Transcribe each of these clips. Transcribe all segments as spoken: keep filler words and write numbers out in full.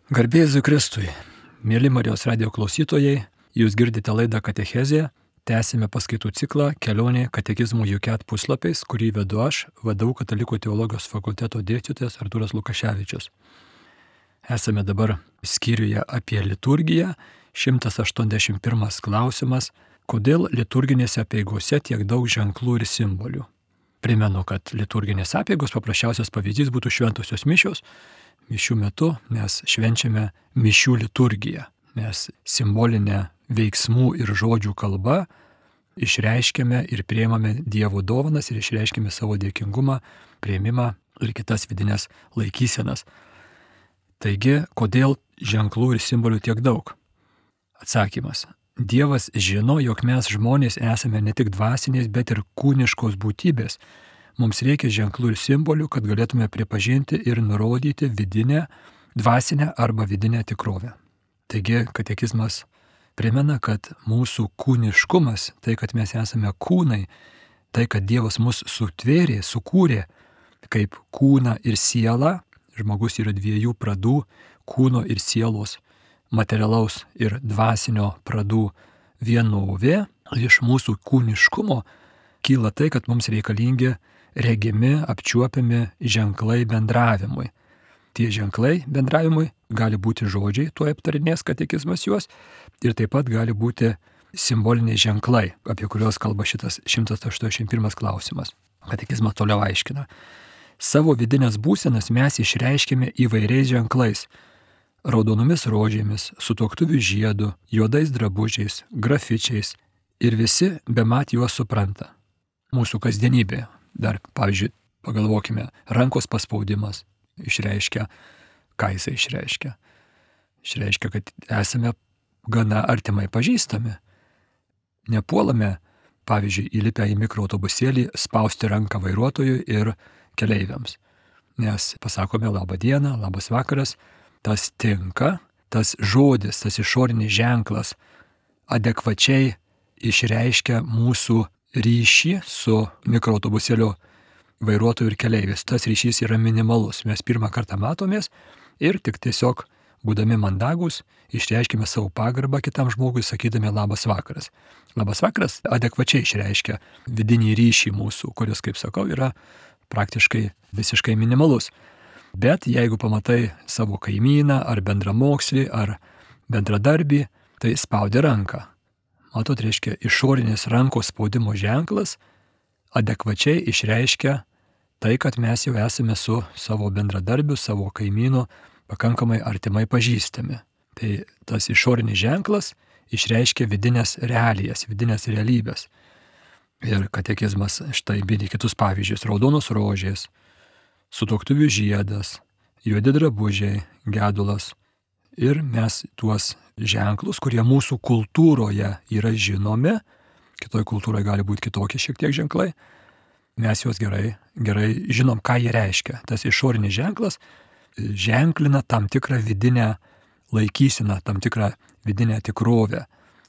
Garbė Jėzui Kristui, mėly Marijos radijo klausytojai, jūs girdite laidą Katechezė, tęsime paskaitų ciklą Kelionė katekizmų Juket puslapiais, kurį vedu aš, V D U Katalikų teologijos fakulteto dėstytojas Artūras Lukaševičius. Esame dabar skyriuje apie liturgiją, šimtas aštuoniasdešimt pirmas klausimas, kodėl liturginėse apeigose tiek daug ženklų ir simbolių. Primenu, kad liturginės apeigos paprasčiausias pavyzdys būtų šventosios mišios. Mišių metu mes švenčiame mišių liturgiją. Mes simbolinę veiksmų ir žodžių kalbą išreiškiame ir priimame Dievo dovanas ir išreiškiame savo dėkingumą, priėmimą ir kitas vidinės laikysenas. Taigi, kodėl ženklų ir simbolių tiek daug? Atsakymas. Dievas žino, jog mes žmonės esame ne tik dvasinės, bet ir kūniškos būtybės. Mums reikia ženklų ir simbolių, kad galėtume pripažinti ir nurodyti vidinę, dvasinę arba vidinę tikrovę. Taigi, katekizmas primena, kad mūsų kūniškumas, tai, kad mes esame kūnai, tai, kad Dievas mus sutvėrė, sukūrė kaip kūną ir sielą, žmogus yra dviejų pradų, kūno ir sielos, materialaus ir dvasinio pradų vienovė. Iš mūsų kūniškumo kyla tai, kad mums reikalingi regimi, apčiuopiami ženklai bendravimui. Tie ženklai bendravimui gali būti žodžiai, tuo aptarinės katekizmas juos, ir taip pat gali būti simboliniai ženklai, apie kuriuos kalba šitas šimtas aštuoniasdešimt pirmas klausimas. Katekizmas toliau aiškina. Savo vidinės būsenas mes išreiškime įvairiais ženklais. Raudonomis rožėmis, sutuoktuvių žiedu, juodais drabužiais, grafičiais, ir visi bemat juos supranta. Mūsų kasdienybė. Dar, pavyzdžiui, pagalvokime, rankos paspaudimas išreiškia, ką jisai išreiškia. Išreiškia, kad esame gana artimai pažįstami. Nepuolame, pavyzdžiui, įlipę į mikroautobusėlį, spausti ranką vairuotojui ir keleiviams. Nes pasakome labą dieną, labas vakaras, tas tinka, tas žodis, tas išorinis ženklas adekvačiai išreiškia mūsų ryšį su mikroautobusėlio vairuotoju ir keleivis. Tas ryšys yra minimalus. Mes pirmą kartą matomės ir tik tiesiog, būdami mandagus, išreiškime savo pagarbą kitam žmogui, sakydami labas vakaras. Labas vakaras adekvačiai išreiškia vidinį ryšį mūsų, kuris, kaip sakau, yra praktiškai visiškai minimalus. Bet jeigu pamatai savo kaimyną ar bendramokslį ar bendradarbį, tai spaudi ranką. Matot, reiškia, išorinis rankos spaudimo ženklas adekvačiai išreiškia tai, kad mes jau esame su savo bendradarbiu, savo kaimynu pakankamai artimai pažįstami. Tai tas išorinis ženklas išreiškia vidinės realijas, vidinės realybės. Ir katekizmas štai bėdė kitus pavyzdžius. Raudonos rožės, sutuoktuvių žiedas, juodi drabužiai, gedulas. Ir mes tuos ženklus, kurie mūsų kultūroje yra žinomi, kitoj kultūroje gali būti kitokie šiek tiek ženklai, mes juos gerai, gerai žinom, ką jie reiškia. Tas išorinis ženklas ženklina tam tikrą vidinę laikyseną, tam tikrą vidinę tikrovę.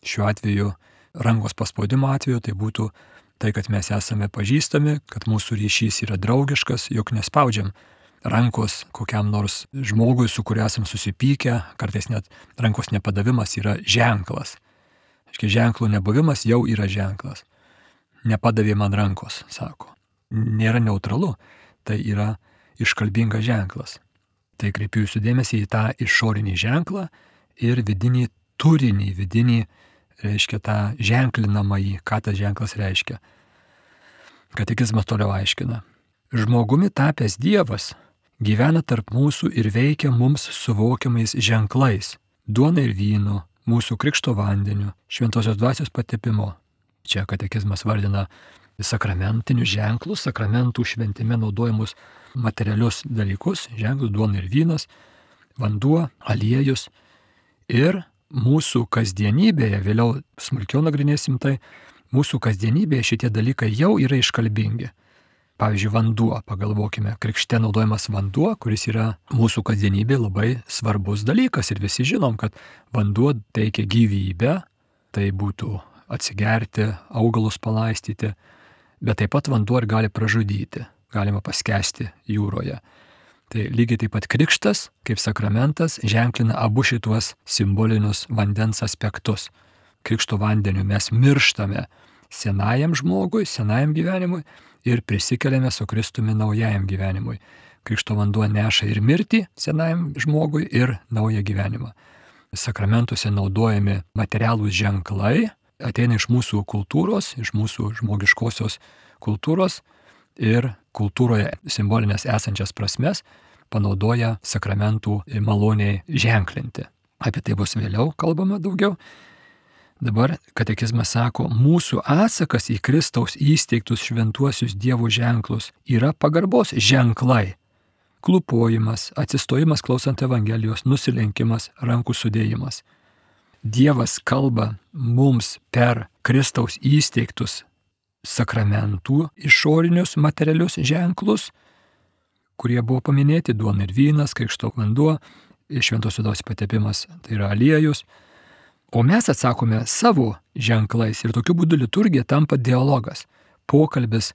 Šiuo atveju, rankos paspaudimo atveju, tai būtų tai, kad mes esame pažįstami, kad mūsų ryšys yra draugiškas, jog nespaudžiam rankos kokiam nors žmogui, su kuriuo esam susipykę, kartais net rankos nepadavimas yra ženklas. Aiškiai, ženklų nebuvimas jau yra ženklas. Nepadavė man rankos, sako. Nėra neutralu, tai yra iškalbingas ženklas. Tai kreipiu jūsų dėmesį į tą išorinį ženklą ir vidinį turinį, vidinį, reiškia, tą ženklinamąjį, ką tas ženklas reiškia. Katekizmas toliau aiškina. Žmogumi tapęs Dievas gyvena tarp mūsų ir veikia mums suvokiamais ženklais, duona ir vynu, mūsų krikšto vandeniu, šventosios dvasios patepimo. Čia katekizmas vardina sakramentinius ženklus, sakramentų šventime naudojamus materialius dalykus, ženklus, duona ir vynas, vanduo, aliejus. Ir mūsų kasdienybėje, vėliau smulkiau nagrinėsim tai, mūsų kasdienybėje šitie dalykai jau yra iškalbingi. Pavyzdžiui, vanduo, pagalvokime, krikšte naudojamas vanduo, kuris yra mūsų kasdienybėje labai svarbus dalykas ir visi žinom, kad vanduo teikia gyvybę, tai būtų atsigerti, augalus palaistyti, bet taip pat vanduo ir gali pražudyti, galima paskesti jūroje. Tai lygiai taip pat krikštas, kaip sakramentas, ženklina abu šituos simbolinius vandens aspektus. Krikšto vandeniu mes mirštame senajam žmogui, senajam gyvenimui ir prisikeliame su Kristumi naujajam gyvenimui. Krikšto vanduo neša ir mirtį senajam žmogui ir naują gyvenimą. Sakramentuose naudojami materialūs ženklai, ateina iš mūsų kultūros, iš mūsų žmogiškosios kultūros ir kultūroje simbolinės esančias prasmes panaudoja sakramentų maloniai ženklinti. Apie tai bus vėliau kalbama daugiau. Dabar katekizmas sako, mūsų atsakas į Kristaus įsteigtus šventuosius Dievo ženklus yra pagarbos ženklai. Klupojimas, atsistojimas klausant Evangelijos, nusilenkimas, rankų sudėjimas. Dievas kalba mums per Kristaus įsteigtus sakramentų išorinius materialius ženklus, kurie buvo paminėti, duona ir vynas, krikšto vanduo, šventos vidaus patepimas, tai yra aliejus. O mes atsakome savo ženklais ir tokiu būdu liturgija tampa dialogas, pokalbis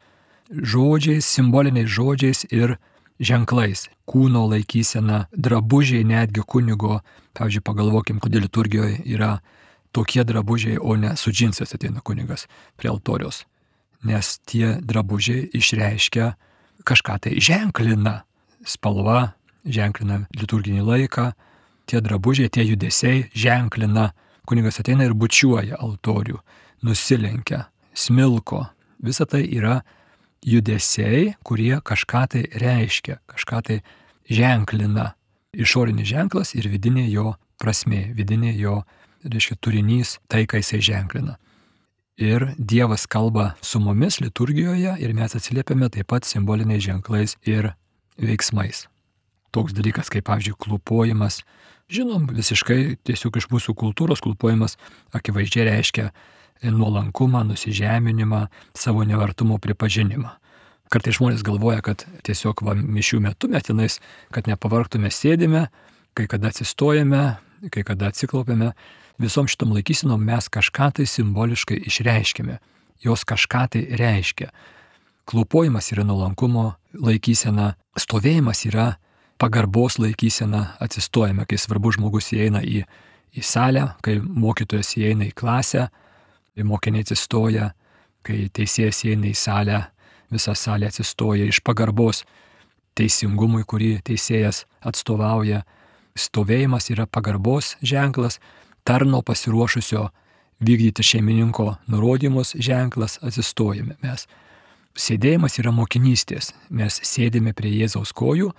žodžiais, simboliniais žodžiais ir ženklais. Kūno laikysena, drabužiai netgi kunigo, pavyzdžiui, pagalvokim, kodėl liturgijoje yra tokie drabužiai, o ne su džinsais ateina kunigas prie altoriaus. Nes tie drabužiai išreiškia kažką tai ženklina. Spalva ženklina liturginį laiką, tie drabužiai, tie judesiai ženklina. Kunigas ateina ir bučiuoja altorių, nusilenkia, smilko. Visa tai yra judesiai, kurie kažką tai reiškia, kažką tai ženklina. Išorinis ženklas ir vidinė jo prasmė, vidinė jo, reiškia, turinys, tai, ką jisai ženklina. Ir Dievas kalba su mumis liturgijoje ir mes atsiliepiame taip pat simboliniais ženklais ir veiksmais. Toks dalykas kaip, pavyzdžiui, klupojimas. Žinom, visiškai tiesiog iš mūsų kultūros klupojimas akivaizdžiai reiškia nuolankumą, nusižeminimą, savo nevertumo pripažinimą. Kartais žmonės galvoja, kad tiesiog va, mišių metu mes tenais, kad nepavargtume, sėdime, kai kada atsistojame, kai kada atsiklaupiame. Visom šitom laikysenom mes kažką tai simboliškai išreiškime. Jos kažką tai reiškia. Klupojimas yra nuolankumo laikysena, stovėjimas yra pagarbos laikysena, atsistojame, kai svarbus žmogus įeina į, į salę, kai mokytojas įeina į klasę, kai mokiniai atsistoja, kai teisėjas įeina į salę, visa salė atsistoja iš pagarbos teisingumui, kurį teisėjas atstovauja. Stovėjimas yra pagarbos ženklas, tarno pasiruošusio vykdyti šeimininko nurodymus ženklas, atsistojame mes. Sėdėjimas yra mokinystės. Mes sėdime prie Jėzaus kojų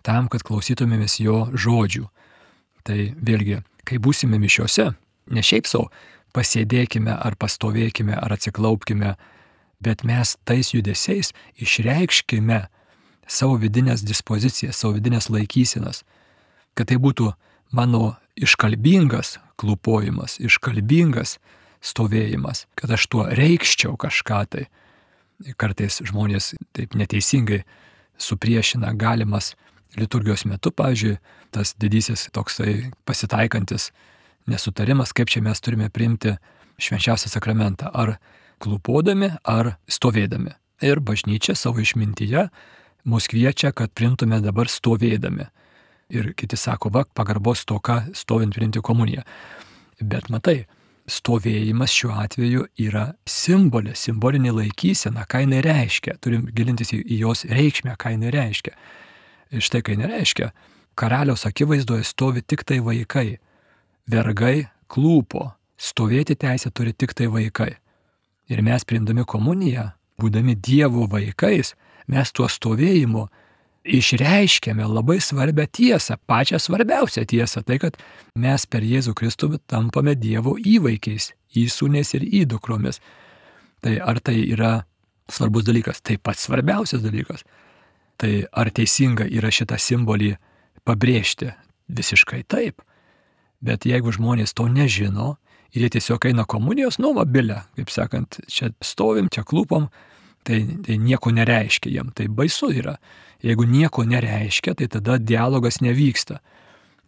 tam, kad klausytumėmės jo žodžių. Tai vėlgi, kai būsime mišiose, ne šiaip savo pasėdėkime ar pastovėkime ar atsiklaupkime, bet mes tais judesiais išreikškime savo vidinės dispozicijas, savo vidinės laikysenas, kad tai būtų mano iškalbingas klupojimas, iškalbingas stovėjimas, kad aš tuo reikščiau kažką tai. Kartais žmonės taip neteisingai supriešina galimas liturgijos metu, pavyzdžiui, tas didysis toksai pasitaikantis nesutarimas, kaip čia mes turime priimti švenčiausią sakramentą, ar klupodami, ar stovėdami. Ir bažnyčia savo išmintyje mus kviečia, kad priimtume dabar stovėdami. Ir kiti sako, va, pagarbos stoka stovint priimti komuniją. Bet matai, stovėjimas šiuo atveju yra simbolė, simbolinė laikysena, ką jinai reiškia. Turim gilintis į, į jos reikšmę, ką jinai reiškia. Ir štai ką jinai reiškia. Karaliaus akivaizdoje stovi tik tai vaikai. Vergai klūpo. Stovėti teisę turi tik tai vaikai. Ir mes priimdami komuniją, būdami Dievo vaikais, mes tuo stovėjimu išreiškėme labai svarbią tiesą, pačią svarbiausią tiesą, tai kad mes per Jėzų Kristų tampame Dievo įvaikiais, įsūniais ir įdukromis. Tai ar tai yra svarbus dalykas? Tai pats svarbiausias dalykas. Tai ar teisinga yra šitą simbolį pabrėžti? Visiškai taip. Bet jeigu žmonės to nežino ir jie tiesiog eina komunijos, nu, vabilę, kaip sakant, čia stovim, čia klūpom, tai, tai nieko nereiškia jiem, tai baisu yra. Jeigu nieko nereiškia, tai tada dialogas nevyksta.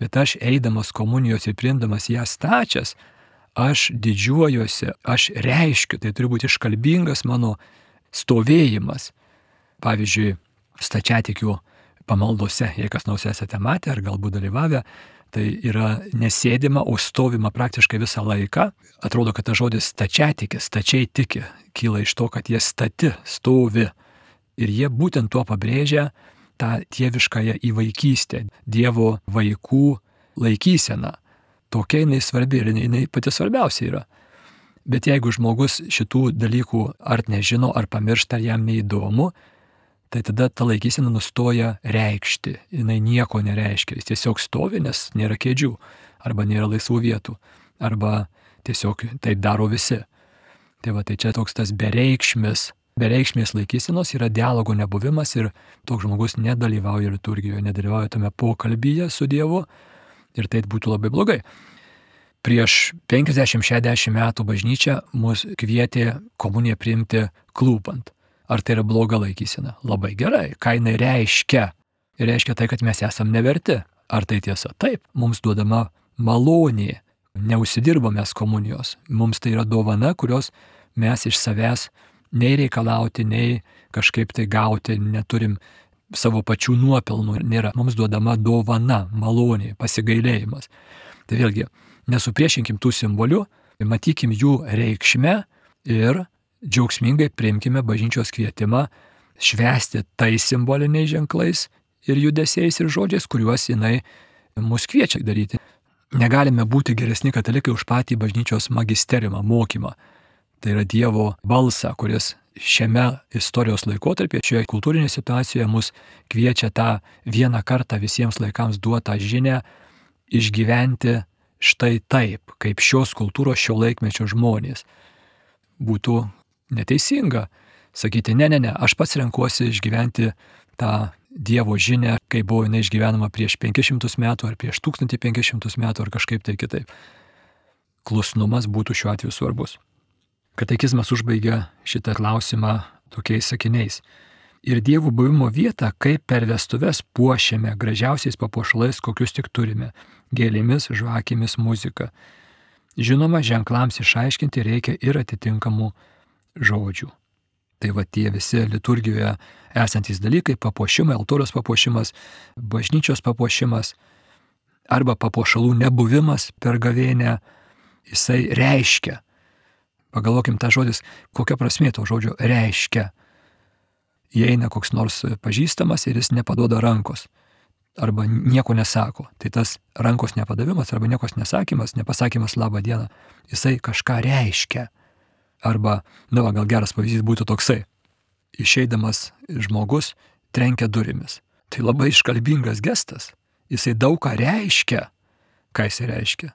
Bet aš eidamas komunijos ir priimdamas ją stačias, aš didžiuojuosi, aš reiškiu, tai turi būti iškalbingas mano stovėjimas. Pavyzdžiui, stačiatikių pamaldose, jei kas nors esate matę ar galbūt dalyvavę, tai yra nesėdima, o stovima praktiškai visą laiką. Atrodo, kad tas žodis stačiatikis, stačiai tiki, kyla iš to, kad jie stati, stovi. Ir jie būtent tuo pabrėžia tą dieviškąją įvaikystę, Dievo vaikų laikyseną. Tokia jinai svarbi ir jinai pati svarbiausia yra. Bet jeigu žmogus šitų dalykų ar nežino, ar pamiršta, ar jam neįdomu, tai tada ta laikysena nustoja reikšti. Jinai nieko nereiškia. Jis tiesiog stovi, nes nėra kėdžių, arba nėra laisvų vietų, arba tiesiog taip daro visi. Tai va, tai čia toks tas bereikšmis, bereikšmės laikysenos yra dialogo nebuvimas ir toks žmogus nedalyvauja liturgijoje, nedalyvauja tame pokalbyje su Dievu ir tai būtų labai blogai. Prieš penkiasdešimt šešiasdešimt metų bažnyčia mus kvietė komuniją priimti klūpant. Ar tai yra bloga laikysena? Labai gerai. Ką jinai reiškia? Reiškia tai, kad mes esam neverti. Ar tai tiesa? Taip. Mums duodama malonė. Neužsidirbame komunijos. Mums tai yra dovana, kurios mes iš savęs nei reikalauti, nei kažkaip tai gauti neturim, savo pačių nuopelnų nėra. Mums duodama dovana, malonė, pasigailėjimas. Tai vėlgi, nesupriešinkim tų simbolių, matykim jų reikšmę ir džiaugsmingai priimkime bažnyčios kvietimą švęsti tais simboliniais ženklais ir judesiais ir žodžiais, kuriuos jinai mus kviečia daryti. Negalime būti geresni katalikai už patį bažnyčios magisteriumą, mokymą. Tai yra Dievo balsą, kuris šiame istorijos laikotarpyje, šioje kultūrinėje situacijoje mus kviečia tą vieną kartą visiems laikams duotą žinią išgyventi štai taip, kaip šios kultūros šio laikmečio žmonės. Būtų neteisinga sakyti, ne, ne, ne, aš pats renkuosi išgyventi tą Dievo žinią, kai buvo jinai išgyvenama prieš penkis šimtus metų ar prieš tūkstantį penkis šimtus metų ar kažkaip tai kitaip. Klusnumas būtų šiuo atveju svarbus. Katekizmas užbaigia šitą klausimą tokiais sakiniais. Ir Dievo buvimo vietą, kaip per vestuves puošiame gražiausiais papuošalais, kokius tik turime, gėlėmis, žvakėmis, muzika. Žinoma, ženklams išaiškinti reikia ir atitinkamų žodžių. Tai va tie visi liturgijoje esantys dalykai, papuošimai, altoriaus papuošimas, bažnyčios papuošimas arba papuošalų nebuvimas per gavėnią, jisai reiškia. Pagalvokim tą žodis, kokia prasmė to žodžio reiškia. Įeina koks nors pažįstamas ir jis nepaduoda rankos arba nieko nesako. Tai tas rankos nepadavimas arba niekos nesakymas, nepasakymas labą dieną, jisai kažką reiškia. Arba, na, va, gal geras pavyzdys būtų toksai. Išeidamas žmogus trenkia durimis. Tai labai iškalbingas gestas. Jisai daug ką reiškia. Ką jisai reiškia?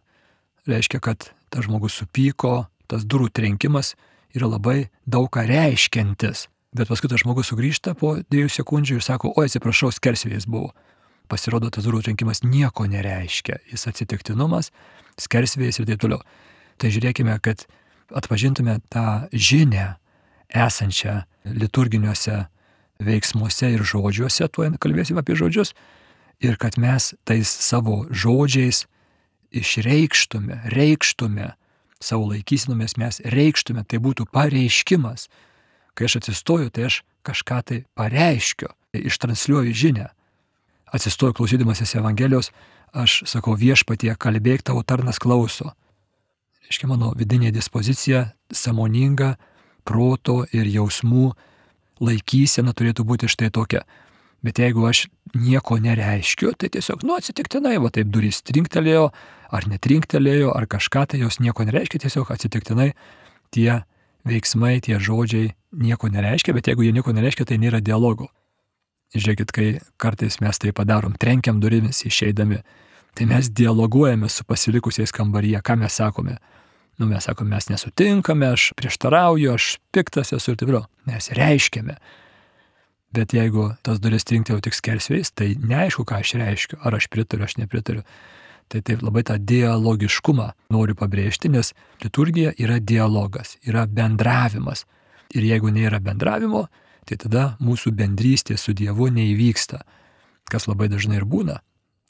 Reiškia, kad tas žmogus supyko, tas durų trenkimas yra labai daug ką reiškiantis. Bet paskui tas žmogus sugrįžta po dviejų sekundžių ir sako, oi, atsiprašau, skersvėjis buvo. Pasirodo, tas durų trenkimas nieko nereiškia. Jis atsitiktinumas, skersvėjis ir taip toliau. Tai žiūrėkime, kad atpažintume tą žinią esančią liturginiuose veiksmuose ir žodžiuose, tuo kalbėsime apie žodžius, ir kad mes tais savo žodžiais išreikštume, reikštume, savo laikysinomis mes reikštume, tai būtų pareiškimas. Kai aš atsistoju, tai aš kažką tai pareiškiu, ištransliuoju žinią. Atsistoju klausydamasis Evangelijos, aš sakau, viešpatie, kalbėk, tavo tarnas klauso. Reiškia, mano vidinė dispozicija, sąmoninga, proto ir jausmų laikysena turėtų būti štai tokia. Bet jeigu aš nieko nereiškiu, tai tiesiog, nu, atsitiktinai, va taip durys trinktelėjo, ar netrinktelėjo, ar kažką, tai jos nieko nereiškia, tiesiog atsitiktinai tie veiksmai, tie žodžiai nieko nereiškia, bet jeigu jie nieko nereiškia, tai nėra dialogo. Žiūrėkit, kai kartais mes tai padarom, trenkiam durimis išeidami, tai mes dialoguojame su pasilikusiais kambaryje, ką mes sakome. Nu, mes sakome, mes nesutinkame, aš prieštarauju, aš piktas esu ir taip toliau. Mes reiškiame. Bet jeigu tas duris trinktelėjo tik skersvėjais, tai neaišku, ką aš reiškiu, ar aš pritariu, aš nepritariu. Tai taip labai tą dialogiškumą noriu pabrėžti, nes liturgija yra dialogas, yra bendravimas. Ir jeigu nėra bendravimo, tai tada mūsų bendrystė su Dievu neįvyksta, kas labai dažnai ir būna,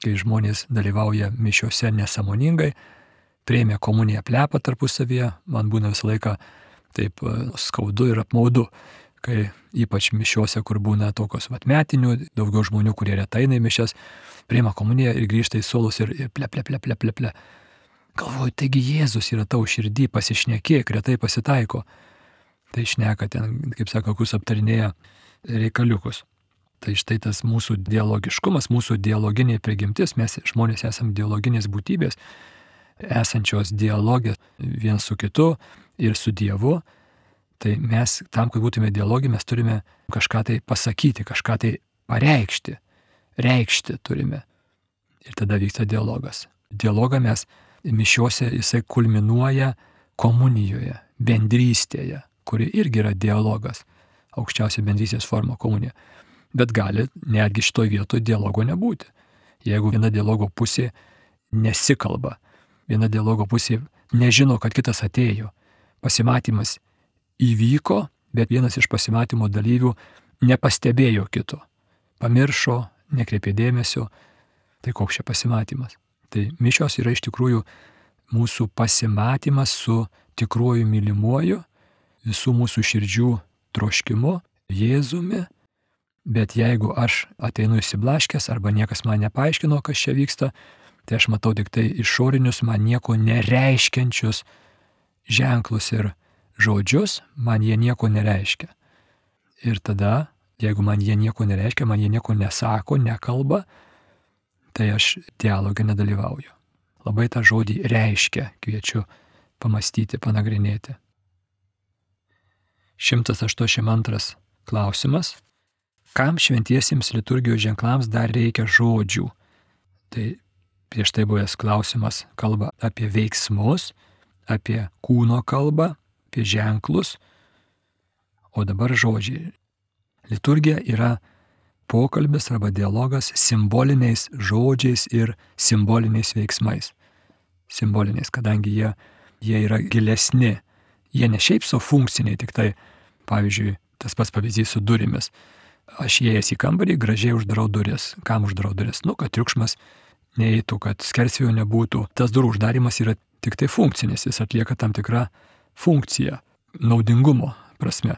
kai žmonės dalyvauja mišiose nesąmoningai, priėmė komuniją plepą tarpusavyje, man būna visą laiką taip skaudu ir apmaudu, kai ypač mišiuose, kur būna tokios vat metinių, daugiau žmonių, kurie retai eina į mišias, priima komuniją ir grįžta į suolus ir, ir ple, ple, ple, ple, ple, ple. Galvoju, taigi Jėzus yra tau širdį, pasišnekėk, retai pasitaiko. Tai šneka ten, kaip sako, kus aptarinėja reikaliukus. Tai štai tas mūsų dialogiškumas, mūsų dialoginė prigimtis, mes žmonės esame dialoginės būtybės, esančios dialogė vien su kitu ir su Dievu. Tai mes, tam, kad būtume dialogė, mes turime kažką tai pasakyti, kažką tai pareikšti, reikšti turime. Ir tada vyksta dialogas. Dialogą mes mišiuose jisai kulminuoja komunijoje, bendrystėje, kuri irgi yra dialogas, aukščiausia bendrystės forma komunija. Bet gali netgi šitoj vietoje dialogo nebūti. Jeigu viena dialogo pusė nesikalba, viena dialogo pusė nežino, kad kitas atėjo, pasimatymas įvyko, bet vienas iš pasimatymo dalyvių nepastebėjo kito, pamiršo, nekreipė dėmesio, tai koks čia pasimatymas. Tai mišios yra iš tikrųjų mūsų pasimatymas su tikruoju mylimuoju, visų mūsų širdžių troškimu, Jėzumi, bet jeigu aš ateinu įsiblaškęs arba niekas man nepaaiškino, kas čia vyksta, tai aš matau tik tai išorinius, man nieko nereiškiančius ženklus ir žodžius, man jie nieko nereiškia. Ir tada, jeigu man jie nieko nereiškia, man jie nieko nesako, nekalba, tai aš dialogą nedalyvauju. Labai tą žodį reiškia, kviečiu pamastyti, panagrinėti. šimtas aštuoniasdešimt antras klausimas. Kam šventiesiems liturgijos ženklams dar reikia žodžių? Tai prieš tai buvęs klausimas kalba apie veiksmus, apie kūno kalbą, apie ženklus, o dabar žodžiai. Liturgija yra pokalbis arba dialogas simboliniais žodžiais ir simboliniais veiksmais. Simboliniais, kadangi jie, jie yra gilesni. Jie ne šiaip savo funkciniai, tik tai, pavyzdžiui, tas pats pavyzdys su durimis. Aš įėjęs į kambarį, gražiai uždarau duris. Kam uždarau duris? Nu, kad triukšmas neeitų, kad skersvėjo nebūtų. Tas durų uždarimas yra tik tai funkcinis, jis atlieka tam tikrą funkciją, naudingumo prasme.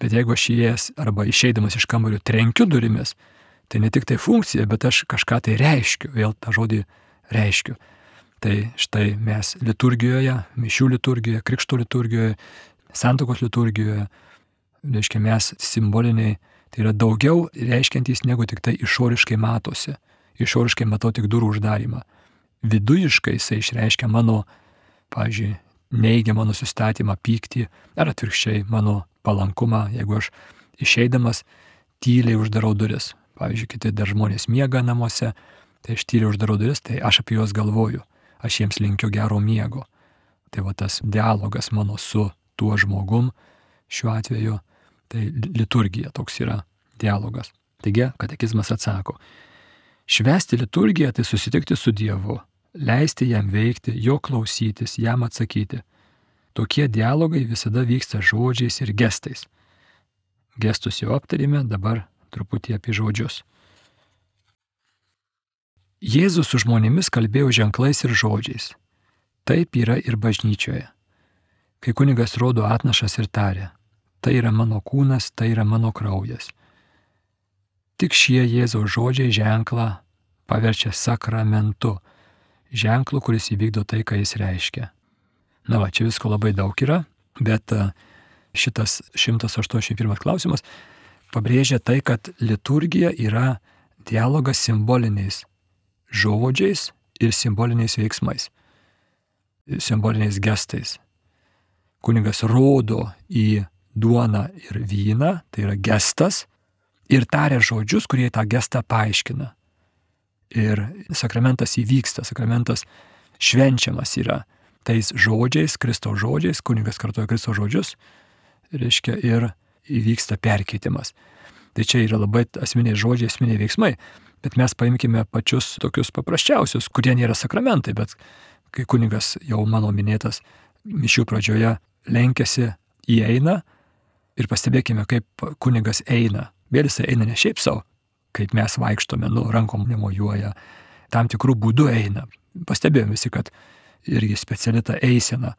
Bet jeigu aš įėjęs arba išeidamas iš kambario trenkiu durimis, tai ne tik tai funkcija, bet aš kažką tai reiškiu, vėl tą žodį reiškiu. Tai štai mes liturgijoje, mišių liturgijoje, krikšto liturgijoje, santuokos liturgijoje, reiškia mes simboliniai, tai yra daugiau reiškiantys negu tik tai išoriškai matosi. Išoriškai matau tik durų uždarimą. Vidujiškai jisai išreiškia mano, pavyzdžiui, neigiamą nusistatymą, pyktį, ar atvirkščiai mano palankumą, jeigu aš išeidamas tyliai uždarau duris. Pavyzdžiui, kiti dar žmonės miega namuose, tai aš tyliai uždarau duris, tai aš apie juos galvoju. Aš jiems linkiu gero miego. Tai va tas dialogas mano su tuo žmogum, šiuo atveju, tai liturgija toks yra dialogas. Taigi, katekizmas atsako, švęsti liturgiją tai susitikti su Dievu, leisti jam veikti, jo klausytis, jam atsakyti. Tokie dialogai visada vyksta žodžiais ir gestais. Gestus jau aptarėme, dabar truputį apie žodžius. Jėzus su žmonėmis kalbėjo ženklais ir žodžiais. Taip yra ir bažnyčioje. Kai kunigas rodo atnašas ir taria, tai yra mano kūnas, tai yra mano kraujas. Tik šie Jėzaus žodžiai ženklą paverčia sakramentu, ženklu, kuris įvykdo tai, ką jis reiškia. Na va, čia visko labai daug yra, bet šitas šimtas aštuoniasdešimt pirmas klausimas pabrėžia tai, kad liturgija yra dialogas simboliniais žodžiais ir simboliniais veiksmais, simboliniais gestais. Kunigas rodo į duoną ir vyną, tai yra gestas, ir taria žodžius, kurie tą gestą paaiškina. Ir sakramentas įvyksta, sakramentas švenčiamas yra tais žodžiais, Kristaus žodžiais, kunigas kartoja Kristaus žodžius, reiškia, ir įvyksta perkeitimas. Tai čia yra labai asmeniai žodžiai, asmeniai veiksmai, bet mes paimkime pačius tokius paprasčiausius, kurie nėra sakramentai, bet kai kunigas jau mano minėtas mišių pradžioje lenkiasi, įeina ir pastebėkime, kaip kunigas eina. Vėl jisai eina ne šiaip savo, kaip mes vaikštome, nu, rankom nemojuoja, tam tikrų būdų eina. Pastebėjome visi, kad irgi speciali ta eisena,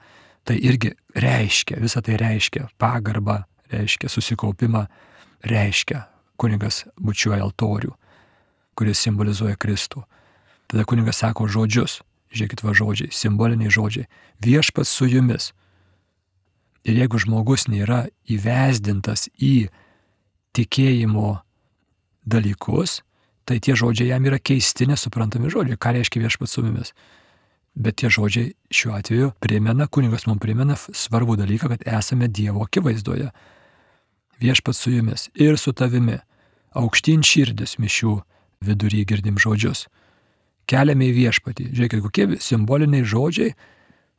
tai irgi reiškia, visą tai reiškia pagarbą, reiškia susikaupimą, reiškia. Kunigas bučiuoja altorių, kuris simbolizuoja Kristų. Tada kunigas sako žodžius, žiūrėkit va žodžiai, simboliniai žodžiai. Viešpats su jumis. Ir jeigu žmogus nėra įvesdintas į tikėjimo dalykus, tai tie žodžiai jam yra keisti, nesuprantami žodžiai. Ką reiškia viešpats su mumis? Bet tie žodžiai šiuo atveju primena, kunigas mums primena svarbų dalyką, kad esame Dievo akivaizdoje. Viešpats su jumis ir su tavimi. Aukštyn širdis mišių vidury girdim žodžius. Keliame į viešpatį. Žiūrėkit, kokie simboliniai žodžiai,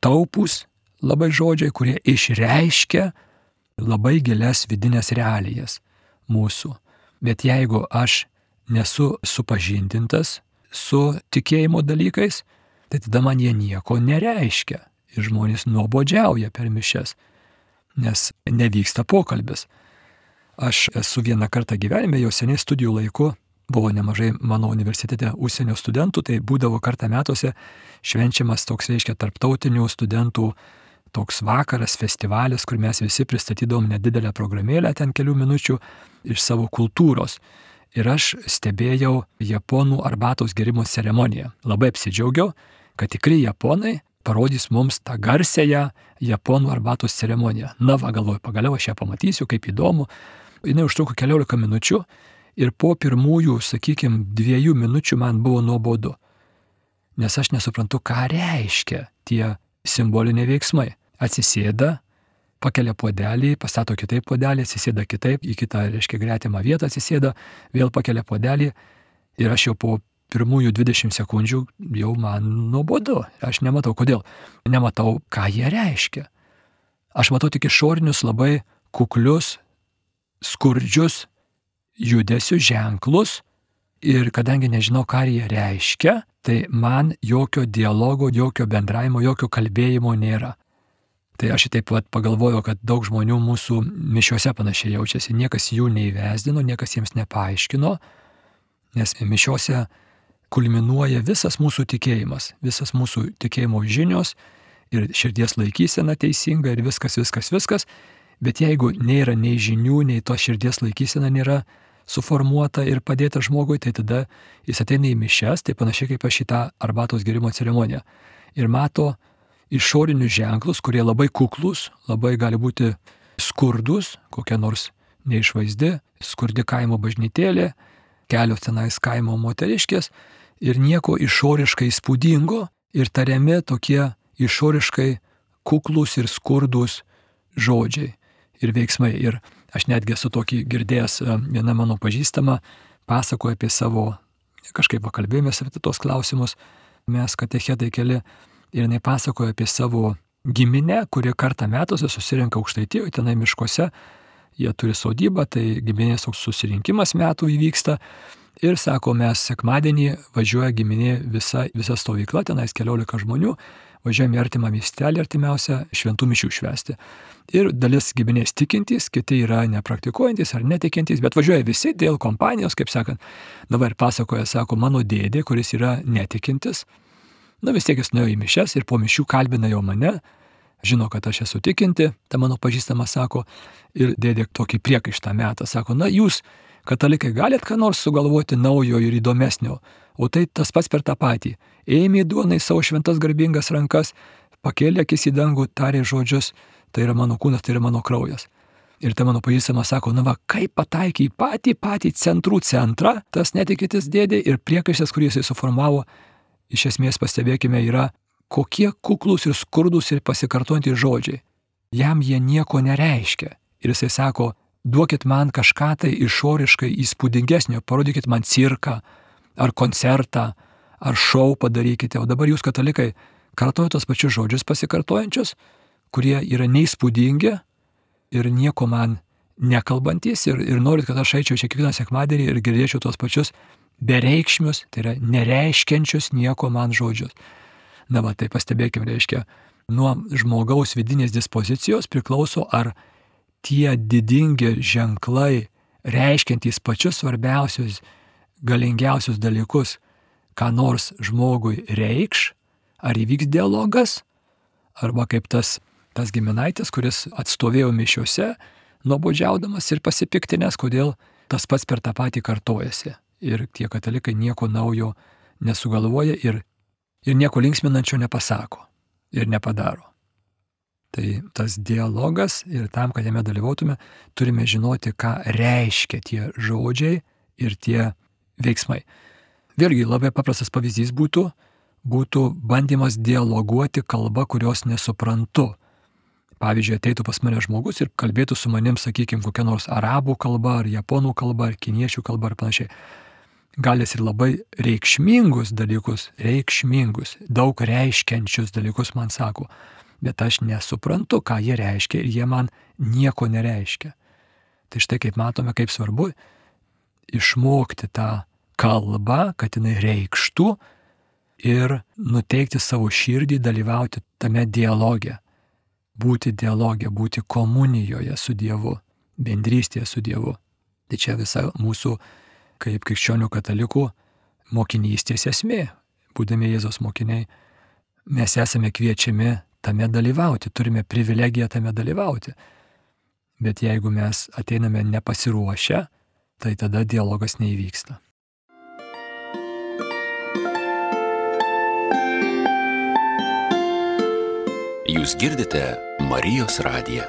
taupūs labai žodžiai, kurie išreiškia labai gilias vidinės realijas mūsų. Bet jeigu aš nesu supažindintas su tikėjimo dalykais, tai tada man jie nieko nereiškia. Ir žmonės nuobodžiauja per mišias, nes nevyksta pokalbis. Aš esu vieną kartą gyvenime, jau seniai studijų laiku, buvo nemažai mano universitete užsienio studentų, tai būdavo kartą metuose švenčiamas toks, reiškia, tarptautinių studentų toks vakaras, festivalis, kur mes visi pristatydavom nedidelę programėlę ten kelių minučių iš savo kultūros. Ir aš stebėjau japonų arbatos gerimo ceremoniją. Labai apsidžiaugiau, kad tikri japonai parodys mums tą garsėją japonų arbatos ceremoniją. Na va, galvoju, pagaliau aš ją pamatysiu, kaip įdomu. Jis užtruko keliolika minučių ir po pirmųjų, sakykime, dviejų minučių man buvo nuobodu. Nes aš nesuprantu, ką reiškia tie simboliniai veiksmai. Atsisėda, pakelia puodelį, pastato kitaip puodelį, atsisėda kitaip, į kitą, reiškia, gretimą vietą atsisėda, vėl pakelia puodelį ir aš jau po pirmųjų dvidešimt sekundžių jau man nuobodu. Aš nematau, kodėl. Nematau, ką jie reiškia. Aš matau tik išorinius labai kuklius, skurdžius judesių ženklus ir kadangi nežinau, ką jie reiškia, tai man jokio dialogo, jokio bendravimo, jokio kalbėjimo nėra. Tai aš taip pat pagalvojau, kad daug žmonių mūsų mišiuose panašiai jaučiasi. Niekas jų neįvesdino, niekas jiems nepaaiškino, nes mišiuose kulminuoja visas mūsų tikėjimas, visas mūsų tikėjimo žinios ir širdies laikysena teisinga ir viskas, viskas, viskas. Bet jeigu nėra nei žinių, nei to širdies laikysena nėra suformuota ir padėta žmogui, tai tada jis ateina į mišias, tai panašiai kaip aš į tą arbatos gerimo ceremoniją. Ir mato išorinius ženklus, kurie labai kuklus, labai gali būti skurdus, kokia nors neišvaizdi, skurdi kaimo bažnytėlė, kelios tenais kaimo moteriškės ir nieko išoriškai įspūdingo ir tariami tokie išoriškai kuklus ir skurdus žodžiai ir veiksmai. Ir aš netgi esu tokį girdėjęs, viena mano pažįstama pasakoja apie savo, kažkaip pakalbėjomės apie tos klausimus, mes katechetai keli, ir jinai pasakoja apie savo giminę, kuri kartą metuose susirenka Aukštaitijoje, tenai miškuose, jie turi sodybą, tai giminės toks susirinkimas metų įvyksta. Ir sako, mes sekmadienį važiuoja giminė visa, visa stovykla, tenais keliolika žmonių, važiuojame į artimą miestelį, artimiausią šventų mišių švęsti. Ir dalis giminės tikintys, kiti yra nepraktikuojantys ar netikintys, bet važiuoja visi dėl kompanijos, kaip sakant. Dabar pasakoja, sako, mano dėdė, kuris yra netikintis, na vis tiek jis nuėjo į mišias ir po mišių kalbina jau mane, žino, kad aš esu tikinti, ta mano pažįstama sako, ir dėdė tokį priekaištą metą, sako, na jūs, katalikai, galit ką nors sugalvoti naujo ir įdomesnio, o tai tas pats per tą patį. Ėmė duonai savo šventas garbingas rankas, pakėlė akis į dangų, tarė žodžius, tai yra mano kūnas, tai yra mano kraujas. Ir ta mano pažįstama sako, na va, kaip pataikė į patį, patį centrų centrą, tas netikintis dėdė ir priekaištas, kurį jisai suformavo, iš esmės pastebėkime, yra kokie kuklus ir skurdus ir pasikartojantys žodžiai. Jam jie nieko nereiškia. Ir jisai sako, duokit man kažką tai išoriškai įspūdingesnio, parodykit man cirką, ar koncertą, ar šou padarykite. O dabar jūs, katalikai, kartoja tos pačius žodžius pasikartojančius, kurie yra neįspūdingi ir nieko man nekalbantys ir, ir norit, kad aš eičiau čia kiekvieną sekmadienį ir girdėčiau tos pačius bereikšmius, tai yra nereiškiančius nieko man žodžius. Na va, tai pastebėkime, reiškia, nuo žmogaus vidinės dispozicijos priklauso, ar tie didingi ženklai, reiškiantys pačius svarbiausius, galingiausius dalykus, ką nors žmogui reikš, ar įvyks dialogas, arba kaip tas, tas giminaitis, kuris atstovėjo mišiuose, nuobodžiaudamas ir pasipiktinęs, kodėl tas pats per tą patį kartojasi. Ir tie katalikai nieko naujo nesugalvoja ir, ir nieko linksminančio nepasako ir nepadaro. Tai tas dialogas ir tam, kad jame dalyvautume, turime žinoti, ką reiškia tie žodžiai ir tie veiksmai. Vėlgi labai paprastas pavyzdys būtų, būtų bandymas dialoguoti kalbą, kurios nesuprantu. Pavyzdžiui, ateitų pas mane žmogus ir kalbėtų su manim, sakykime, kokia nors arabų kalba, ar japonų kalba, ar kiniečių kalba, ar panašiai. Gal jis ir labai reikšmingus dalykus, reikšmingus, daug reiškiančius dalykus man sako, bet aš nesuprantu, ką jie reiškia ir jie man nieko nereiškia. Tai štai kaip matome, kaip svarbu išmokti tą kalbą, kad jinai reikštų ir nuteikti savo širdį, dalyvauti tame dialoge. Būti dialoge, būti komunijoje su Dievu, bendrystėje su Dievu. Tai čia visa mūsų, kaip krikščionių katalikų, mokinystės esmė. Būdami Jėzaus mokiniai, mes esame kviečiami tame dalyvauti, turime privilegiją tame dalyvauti. Bet jeigu mes ateiname nepasiruošę, tai tada dialogas neįvyksta. Jūs girdite Marijos radiją.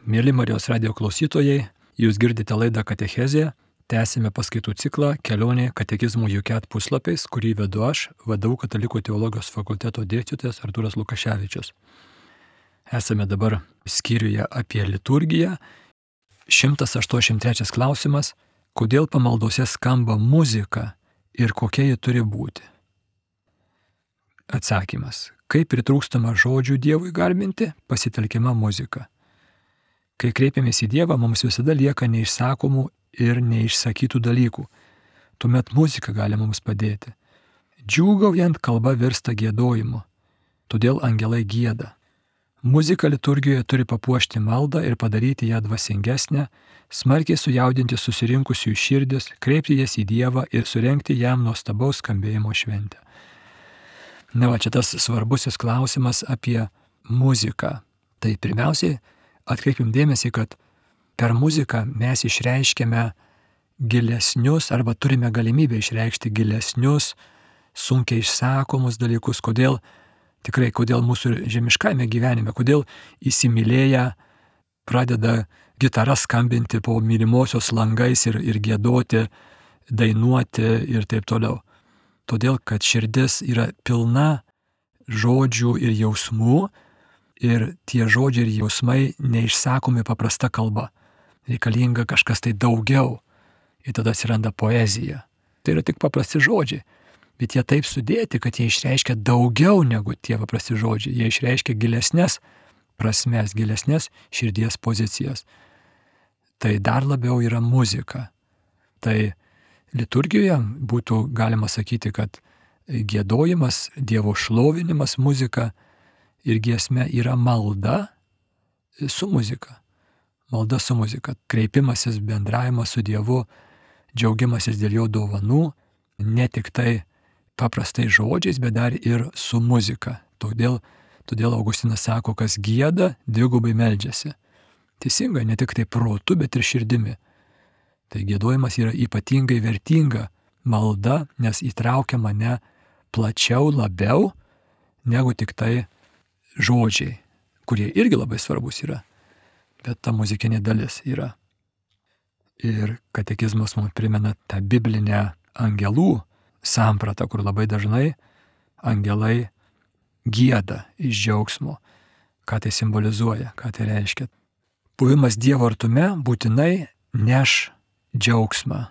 Mėly Marijos radijo klausytojai, jūs girdite laidą Katechezė, tęsime paskaitų ciklą Kelionė katekizmų U K puslapiais, kurį vedu aš, V D U Katalikų teologijos fakulteto dėstytojas Artūras Lukaševičius. Esame dabar skyriuje apie liturgiją. šimtas aštuoniasdešimt trečias klausimas. Kodėl pamaldose skamba muzika ir kokia ji turi būti? Atsakymas. Kai pritrūkstama žodžių Dievui garbinti, pasitelkiama muzika. Kai kreipiamės į Dievą, mums visada lieka neišsakomų ir neišsakytų dalykų. Tuomet muzika gali mums padėti. Džiūgaujant kalba virsta giedojimu, todėl angelai gieda. Muzika liturgijoje turi papuošti maldą ir padaryti ją dvasingesnę, smarkiai sujaudinti susirinkusiųjų širdis, kreipti jas į Dievą ir surengti jam nuostabaus skambėjimo šventę. Na va, čia tas svarbusis klausimas apie muziką. Tai pirmiausiai atkreipim dėmesį, kad per muziką mes išreiškiame gilesnius arba turime galimybę išreikšti gilesnius, sunkiai išsakomus dalykus. Kodėl, tikrai, kodėl mūsų žemiškame gyvenime, kodėl įsimylėję pradeda gitara skambinti po mylimosios langais ir, ir giedoti, dainuoti ir taip toliau. Todėl, kad širdis yra pilna žodžių ir jausmų ir tie žodžiai ir jausmai neišsakomi paprasta kalba. Reikalinga kažkas tai daugiau ir tada atsiranda poezija. Tai yra tik paprasti žodžiai, bet jie taip sudėti, kad jie išreiškia daugiau negu tie paprasti žodžiai. Jie išreiškia gilesnės prasmes, gilesnės širdies pozicijas. Tai dar labiau yra muzika. Tai liturgijoje būtų galima sakyti, kad giedojimas, Dievo šlovinimas, muzika ir giesmė yra malda su muzika. Malda su muzika. Kreipimasis, bendravimas su Dievu, džiaugimasis dėl jo dovanų, ne tik tai paprastai žodžiais, bet dar ir su muzika. Todėl, todėl Augustinas sako, kas gieda, dvigubai meldžiasi. Teisingai, ne tik tai protu, bet ir širdimi. Tai giedojimas yra ypatingai vertinga malda, nes įtraukia mane plačiau, labiau, negu tik tai žodžiai, kurie irgi labai svarbus yra. Bet ta muzikinė dalis yra. Ir katekizmas mums primena tą biblinę angelų sampratą, kur labai dažnai angelai gieda iš džiaugsmo. Ką tai simbolizuoja, ką tai reiškia. Buvimas Dievo artume būtinai neš džiaugsmą.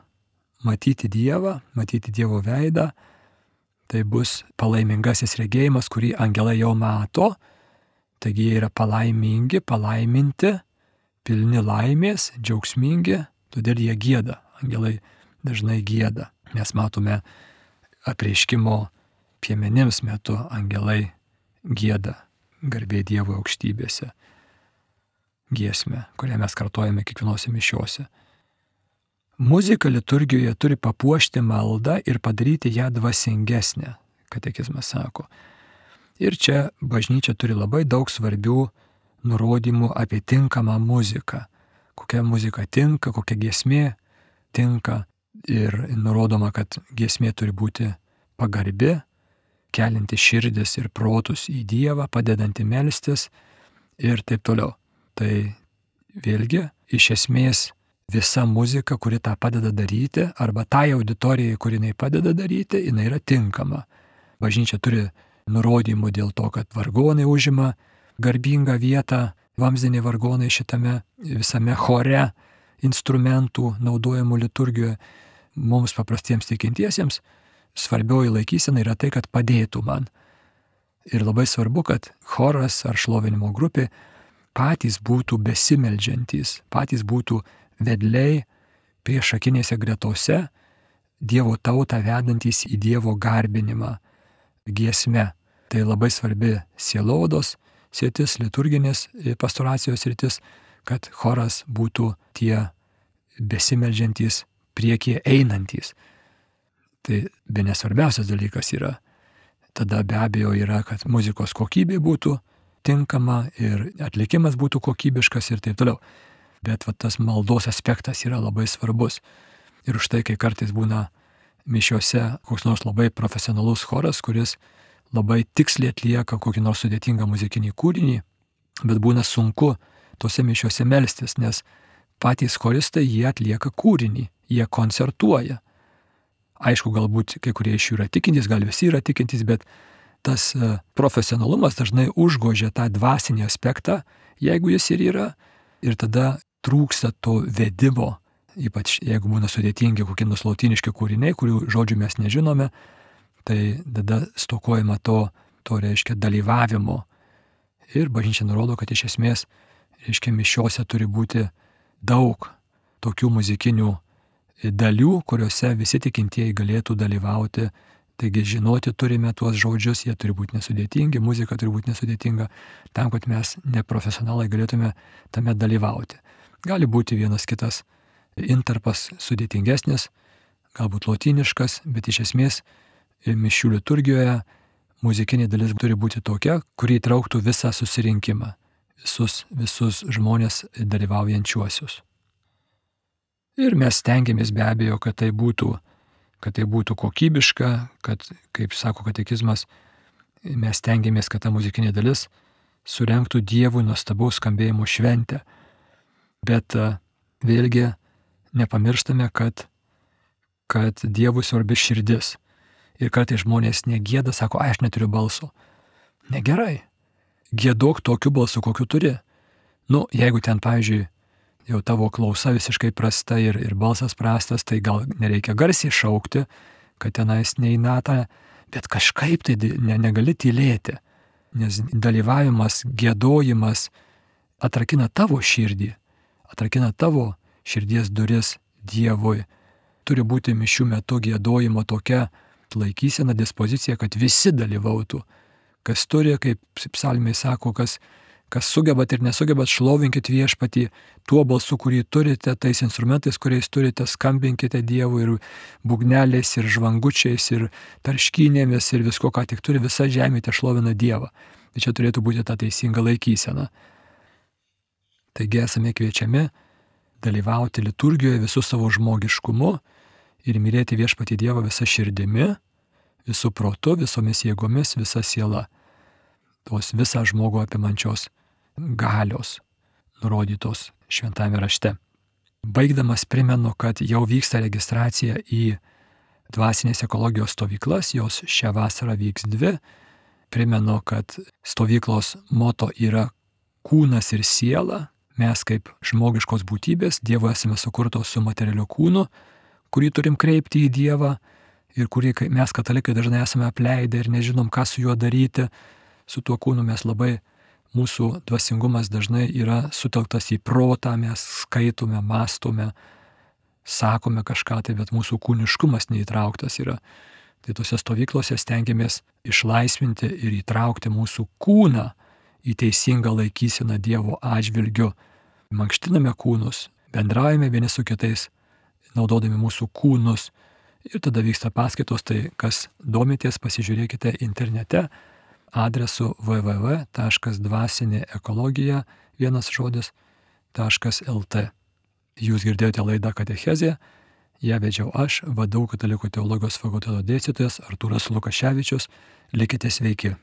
Matyti Dievą, matyti Dievo veidą, tai bus palaimingasis regėjimas, kurį angelai jau mato. Taigi jie yra palaimingi, palaiminti, pilni laimės, džiaugsmingi, todėl jie gieda. Angelai dažnai gieda. Mes matome apreiškimo piemenims metu angelai gieda, garbė Dievo aukštybėse. Giesmę, kurią mes kartojame kiekvienose mišiose. Muzika liturgijoje turi papuošti maldą ir padaryti ją dvasingesnę, katekizmas sako. Ir čia bažnyčia turi labai daug svarbių nurodymų apie tinkamą muziką. Kokia muzika tinka, kokia giesmė tinka. Ir nurodoma, kad giesmė turi būti pagarbi, kelinti širdis ir protus į Dievą, padedanti melstis ir taip toliau. Tai vėlgi, iš esmės, visa muzika, kuri tą padeda daryti, arba tai auditorijai, kuri jinai padeda daryti, jinai yra tinkama. Bažnyčia turi nurodymų dėl to, kad vargonai užima garbingą vietą, vamzdiniai vargonai šitame visame chore instrumentų naudojamų liturgijoje. Mums paprastiems tikintiesiems svarbioji laikysena yra tai, kad padėtų man. Ir labai svarbu, kad choras ar šlovinimo grupė patys būtų besimeldžiantys, patys būtų vedliai priešakinėse gretose, Dievo tautą vedantys į Dievo garbinimą giesme. Tai labai svarbi sielovados sritis, liturginės pastoracijos sritis, kad choras būtų tie besimeldžiantys, priekyje einantys. Tai be nesvarbiausias dalykas yra. Tada be abejo yra, kad muzikos kokybė būtų tinkama ir atlikimas būtų kokybiškas ir taip toliau. Bet va, tas maldos aspektas yra labai svarbus. Ir už tai, kai kartais būna mišiose koks nors labai profesionalus choras, kuris labai tiksliai atlieka kokį nors sudėtingą muzikinį kūrinį, bet būna sunku tose mišiose melstis, nes patys choristai jie atlieka kūrinį, jie koncertuoja. Aišku, galbūt kai kurie iš jų yra tikintys, gal visi yra tikintys, bet tas profesionalumas dažnai užgožia tą dvasinį aspektą, jeigu jis ir yra, ir tada trūksta to vedimo, ypač jeigu būna sudėtingi kokie nors lotyniški kūriniai, kurių žodžių mes nežinome, tai tada stokojama to, to reiškia dalyvavimo. Ir bažnyčia nurodo, kad iš esmės, reiškia, mišiose turi būti daug tokių muzikinių dalių, kuriuose visi tikintieji galėtų dalyvauti. Taigi žinoti turime tuos žodžius, jie turi būti nesudėtingi, muzika turi būti nesudėtinga, tam, kad mes neprofesionalai galėtume tame dalyvauti. Gali būti vienas kitas intarpas sudėtingesnis, galbūt lotyniškas, bet iš esmės mišių liturgijoje muzikinė dalis turi būti tokia, kuri įtrauktų visą susirinkimą, visus, visus žmonės dalyvaujančiuosius. Ir mes stengiamės be abejo, kad tai būtų, kad tai būtų kokybiška, kad, kaip sako katekizmas, mes stengiamės, kad ta muzikinė dalis surengtų Dievui nuostabaus skambėjimo šventę. Bet vėlgi nepamirštame, kad, kad Dievui svarbi širdis. Ir kartais žmonės negėda, sako, ai, aš neturiu balso. Negerai. Gėdok tokiu balsu, kokiu turi. Nu, jeigu ten, pavyzdžiui, jau tavo klausa visiškai prasta ir, ir balsas prastas, tai gal nereikia garsiai šaukti, kad tenais neįnata, bet kažkaip tai ne, negali tylėti, nes dalyvavimas, gėdojimas atrakina tavo širdį, atrakina tavo širdies duris Dievui. Turi būti mišių metu gėdojimo tokia laikysena, dispozicija, kad visi dalyvautų. Kas turi, kaip psalmiai sako, kas Kas sugebat ir nesugebat, šlovinkit viešpatį tuo balsu, kurį turite, tais instrumentais, kuriais turite, skambinkite Dievui ir būgneliais, ir žvangučiais, ir tarškynėmis, ir visko, ką tik turi, visa žemė te šlovina Dievą. Tai čia turėtų būti ta teisinga laikysena. Taigi esame kviečiami dalyvauti liturgijoje visų savo žmogiškumu ir mylėti viešpatį Dievą visą širdimi, visų protu, visomis jėgomis, visa siela. Tos visą žmogų apimančios galios nurodytos šventame rašte. Baigdamas primenu, kad jau vyksta registracija į dvasinės ekologijos stovyklas, jos šią vasarą vyks dvi. Primenu, kad stovyklos moto yra kūnas ir siela. Mes kaip žmogiškos būtybės Dievo esame sukurtos su materialiu kūnu, kurį turim kreipti į Dievą ir kurį mes katalikai dažnai esame apleidę ir nežinom, ką su juo daryti. Su tuo kūnu mes labai, mūsų dvasingumas dažnai yra sutelktas į protą, mes skaitome, mąstome, sakome kažką, tai bet mūsų kūniškumas neįtrauktas yra. Tai tose stovyklose stengiamės išlaisvinti ir įtraukti mūsų kūną į teisingą laikyseną Dievo atžvilgiu. Mankštiname kūnus, bendraujame vieni su kitais, naudodami mūsų kūnus. Ir tada vyksta paskaitos, tai kas domitės, pasižiūrėkite internete. adresu w w w taškas dvasinė ekologija vienas žodis taškas l t. Jūs girdėjote laidą Katechezė, ją vedžiau aš, V D U Katalikų teologijos fakulteto dėstytojas Artūras Lukaševičius. Likite sveiki.